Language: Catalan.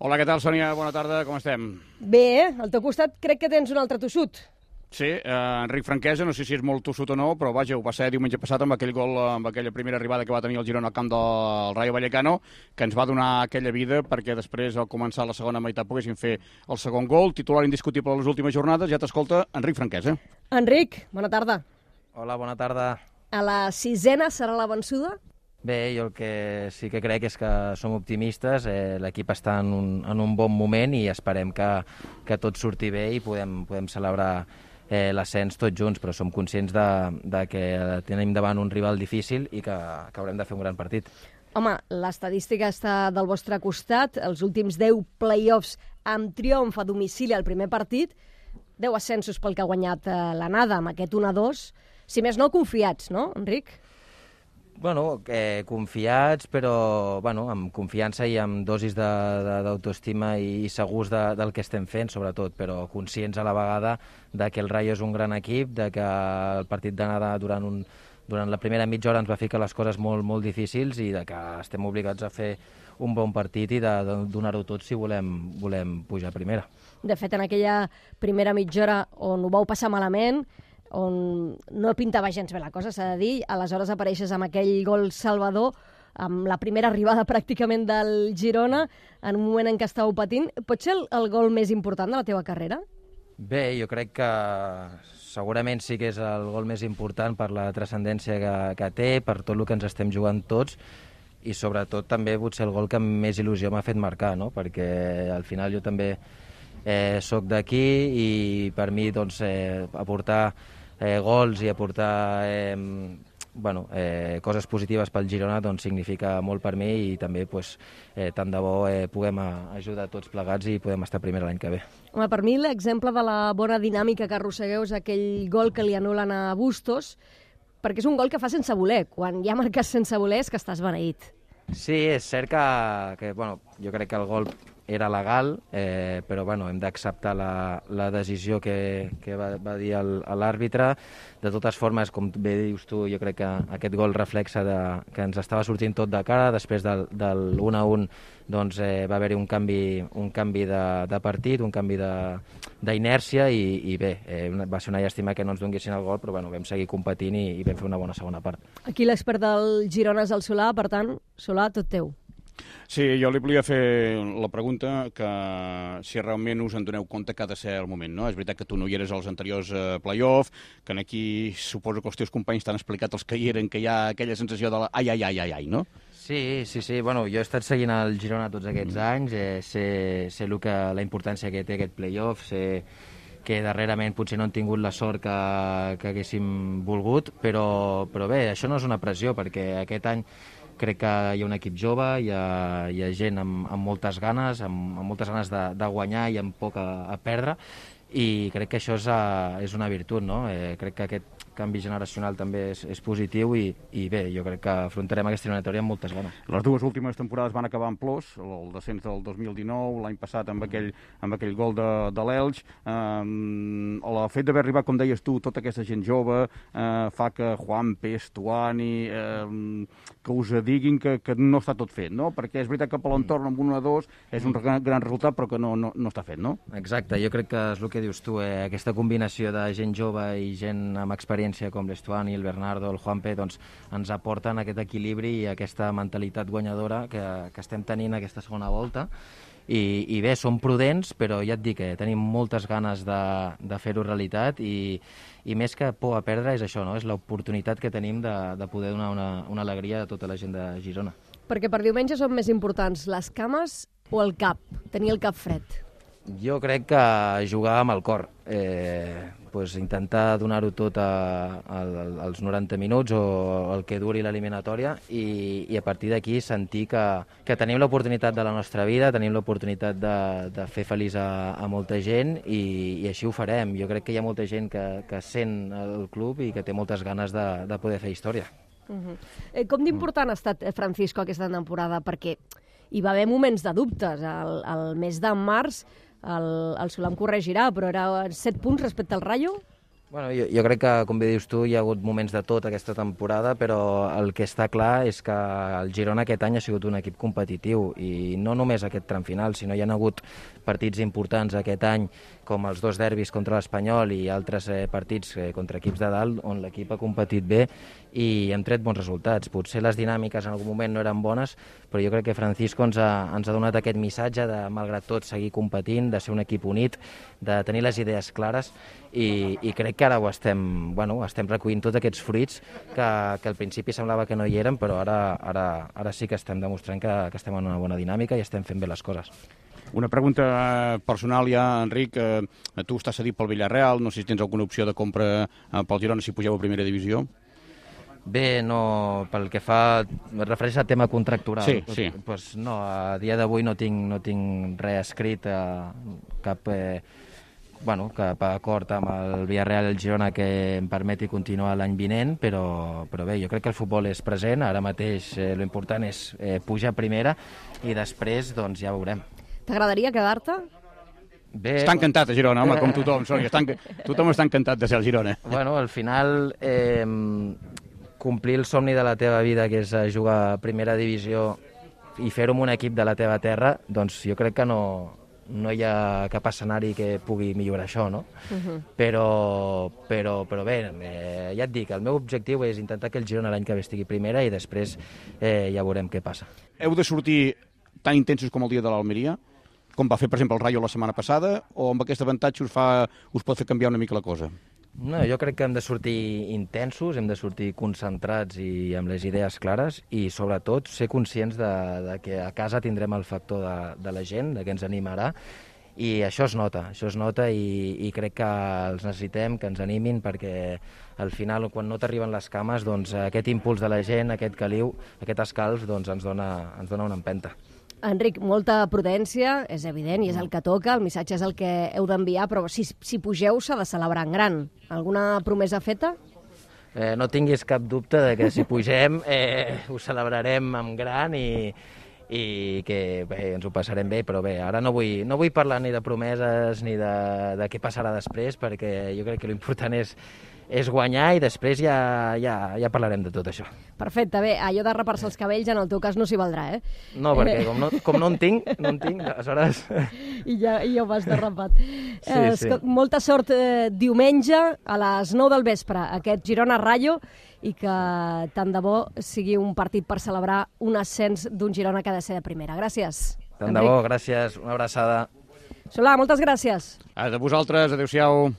Hola, què tal, Sònia? Bona tarda, com estem? Bé, al teu costat crec que tens un altre tossut. Sí, Enric Franquesa, no sé si és molt tossut o no, però vaja, ho va ser diumenge passat amb aquell gol, amb aquella primera arribada que va tenir el Girona al camp del Rayo Vallecano, que ens va donar aquella vida perquè després, al començar la segona meitat, poguessin fer el segon gol, titular indiscutible a les últimes jornades. Ja t'escolta Enric Franquesa. Enric, bona tarda. Hola, bona tarda. A la sisena serà la vençuda? Bé, jo el que sí que crec és que som optimistes, l'equip està en un bon moment i esperem que tot surti bé i podem celebrar l'ascens tots junts, però som conscients de que tenim davant un rival difícil i que haurem de fer un gran partit. Home, l'estadística està del vostre costat, els últims 10 play-offs amb triomf a domicili al primer partit, 10 ascensos pel que ha guanyat l'Anada amb aquest 1-2, si més no confiats, no, Enric? Bueno, confiats, però amb confiança i amb dosis d'autoestima i segurs del que estem fent, sobretot, però conscients a la vegada de que el Rayo és un gran equip, de que el partit d'anada durant la primera mitja hora ens va ficar les coses molt, molt difícils i de que estem obligats a fer un bon partit i de donar-ho tot si volem pujar a primera. De fet, en aquella primera mitja hora on ho vau passar malament, on no pintava gens bé la cosa, s'ha de dir, aleshores apareixes amb aquell gol salvador, amb la primera arribada pràcticament del Girona, en un moment en què estàveu patint. Pot ser el gol més important de la teva carrera? Bé, jo crec que segurament sí que és el gol més important per la transcendència que té, per tot el que ens estem jugant tots, i sobretot també potser el gol que més il·lusió m'ha fet marcar, no? Perquè al final jo també soc d'aquí i per mi doncs, aportar gols i aportar coses positives pel Girona doncs, significa molt per mi i també tant de bo puguem ajudar tots plegats i podem estar primer l'any que ve. Home, per mi l'exemple de la bona dinàmica que arrossegueu és aquell gol que li anulen a Bustos, perquè és un gol que fa sense voler. Quan ja marques sense voler és que estàs beneït. Sí, és cert que jo crec que el gol era legal, però hem d'acceptar la decisió que va dir l'àrbitre. De totes formes, com bé dius tu, jo crec que aquest gol reflexa que ens estava sortint tot de cara. Després del 1-1 doncs, va haver-hi un canvi de partit, un canvi d'inèrcia i bé, va ser una llàstima que no ens donguessin el gol, però vam seguir competint i vam fer una bona segona part. Aquí l'expert del Girona és el Solà, per tant, Solà, tot teu. Sí, jo li volia fer la pregunta que si realment us en doneu compte que ha de ser el moment, no? És veritat que tu no hi eres als anteriors play-off, que aquí suposo que els teus companys t'han explicat els que hi eren, que hi ha aquella sensació de la ai, no? Sí. Bueno, jo he estat seguint el Girona tots aquests anys, sé la importància que té aquest play-off, sé que darrerament potser no han tingut la sort que haguéssim volgut, però bé, això no és una pressió, perquè aquest any crec que hi ha un equip jove, hi ha gent amb moltes ganes, amb moltes ganes de guanyar i amb poc a perdre, i crec que això és una virtut, no? Crec que aquest canvi generacional també és positiu i bé, jo crec que afrontarem aquesta eliminatòria amb moltes ganes. Les dues últimes temporades van acabar en plors, el descens del 2019, l'any passat amb aquell gol de l'Elx. El fet d'haver arribat, com deies tu, tota aquesta gent jove fa que Juanpe, Stuani, que us diguin que no està tot fet, no? Perquè és veritat que per l'entorn amb 1-2 és un gran resultat, però que no està fet, no? Exacte, jo crec que és el que dius tu, aquesta combinació de gent jove i gent amb experiència com l'Estuani, el Bernardo, el Juanpe, doncs ens aporten aquest equilibri i aquesta mentalitat guanyadora que estem tenint aquesta segona volta. I bé, som prudents, però ja et dic que tenim moltes ganes de fer-ho realitat i més que por a perdre és això, no? És l'oportunitat que tenim de poder donar una alegria a tota la gent de Girona. Perquè per diumenge són més importants les cames o el cap, tenir el cap fred? Jo crec que jugar amb el cor, intentar donar-ho tot als 90 minuts o el que duri l'eliminatòria i a partir d'aquí sentir que tenim l'oportunitat de la nostra vida, tenim l'oportunitat de fer feliç a molta gent i així ho farem. Jo crec que hi ha molta gent que sent el club i que té moltes ganes de poder fer història. Com d'important ha estat Francisco aquesta temporada? Perquè hi va haver moments de dubtes. El mes de març el Solà em corregirà, però era 7 punts respecte al Rayo? Bueno, jo crec que, com bé dius tu, hi ha hagut moments de tot aquesta temporada, però el que està clar és que el Girona aquest any ha sigut un equip competitiu, i no només aquest tram final, sinó hi ha hagut partits importants aquest any, com els 2 derbis contra l'Espanyol i altres partits contra equips de dalt, on l'equip ha competit bé i hem tret bons resultats. Potser les dinàmiques en algun moment no eren bones, però jo crec que Francisco ens ha donat aquest missatge de, malgrat tot, seguir competint, de ser un equip unit, de tenir les idees clares, i crec que ara estem recollint tots aquests fruits que al principi semblava que no hi eren, però ara sí que estem demostrant que estem en una bona dinàmica i estem fent bé les coses. Una pregunta personal ja, Enric. Tu estàs cedit pel Villarreal, no sé si tens alguna opció de compra pel Girona si pugeu a primera divisió. Bé, no, pel que fa, es refereix al tema contractural. Sí. Pues no, a dia d'avui no tinc res escrit, cap acord amb el Villarreal i el Girona que em permeti continuar l'any vinent, però bé, jo crec que el futbol és present, ara mateix l'important és pujar a primera i després doncs ja veurem. T'agradaria quedar-te? Bé, està encantat a Girona, home, com tothom, Sònia. Tothom està encantat de ser al Girona. Bueno, al final, complir el somni de la teva vida, que és jugar a primera divisió i fer-ho amb un equip de la teva terra, doncs jo crec que no hi ha cap escenari que pugui millorar això, no? Però bé, ja et dic, el meu objectiu és intentar que el Girona l'any que ve estigui primera i després ja veurem què passa. Heu de sortir tan intensos com el dia de l'Almeria, com va fer, per exemple, el Rayo la setmana passada, o amb aquest avantatge us pot fer canviar una mica la cosa? No, jo crec que hem de sortir intensos, hem de sortir concentrats i amb les idees clares i, sobretot, ser conscients de que a casa tindrem el factor de la gent, de que ens animarà, i això es nota i crec que els necessitem, que ens animin, perquè al final, quan no t'arriben les cames, doncs aquest impuls de la gent, aquest caliu, aquest escalf, doncs ens dona una empenta. Enric, molta prudència, és evident, i és el que toca, el missatge és el que heu d'enviar, però si pugeu s'ha de celebrar en gran. Alguna promesa feta? No tinguis cap dubte de que si pugem ho celebrarem en gran i que bé, ens ho passarem bé, però bé, ara no vull parlar ni de promeses ni de què passarà després, perquè jo crec que l'important és guanyar i després ja parlarem de tot això. Perfecte, bé, allò de rapar-se els cabells en el teu cas no s'hi valdrà, eh? No, perquè com no en tinc, aleshores... I ja ho vas derrapat. Sí. Molta sort diumenge a les 9 del vespre, aquest Girona-Rayo, i que tant de bo sigui un partit per celebrar un ascens d'un Girona que ha de ser de primera. Gràcies, Tant de bo, gràcies, una abraçada. Solà, moltes gràcies. A vosaltres, adéu-siau.